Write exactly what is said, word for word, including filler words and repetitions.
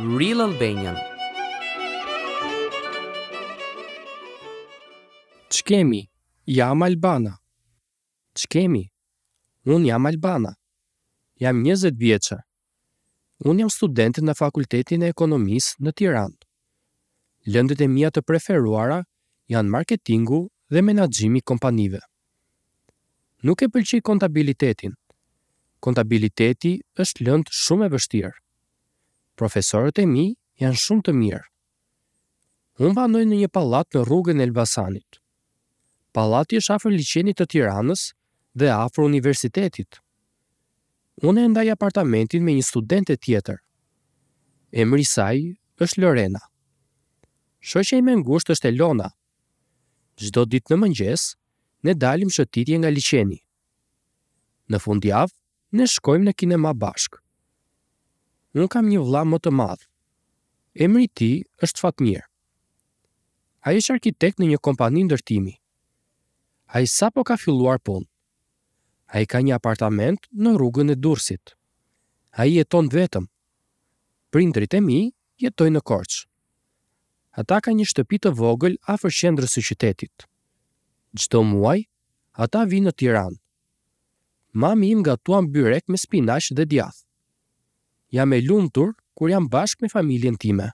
Real Albanian. Ç'kemi? Jam Albana. Ç'kemi? Unë jam Albana. Jam njëzet vjeçe. Unë jam studente në Fakultetin e Ekonomisë në Tiranë. Lëndët e mia të preferuara janë marketingu dhe menaxhimi i kompanive. Nuk e pëlqej kontabilitetin. Kontabiliteti është lëndë shumë e vështirë. Profesorët e mi janë shumë të mirë. Unë banoj në një pallat në rrugën e Elbasanit. Pallati është afër liqenit të Tiranës dhe afër universitetit. Unë e ndaj apartamentin me një studente tjetër. Emri i saj është Lorena. Shoqja ime e ngushtë është Elona. Çdo ditë në mëngjes, ne dalim shëtitje nga liqeni. Në fundjavë, ne shkojmë në kinema bashkë. Unë kam një vëlla më të madh. Emri i tij është Fatmir. Ai është arkitekt në një kompani ndërtimi. Ai sapo ka filluar punë. Ai ka një apartament në rrugën e Durrësit. Ai jeton vetëm. Prindërit e mi jetojnë në Korçë. Ata kanë një shtëpi të vogël afër qendrës së qytetit. Çdo muaj, ata vijnë në Tiranë. Mami im gatuan byrek me spinaq dhe djathë. Jam e lumtur kur jam bashkë me familjen time.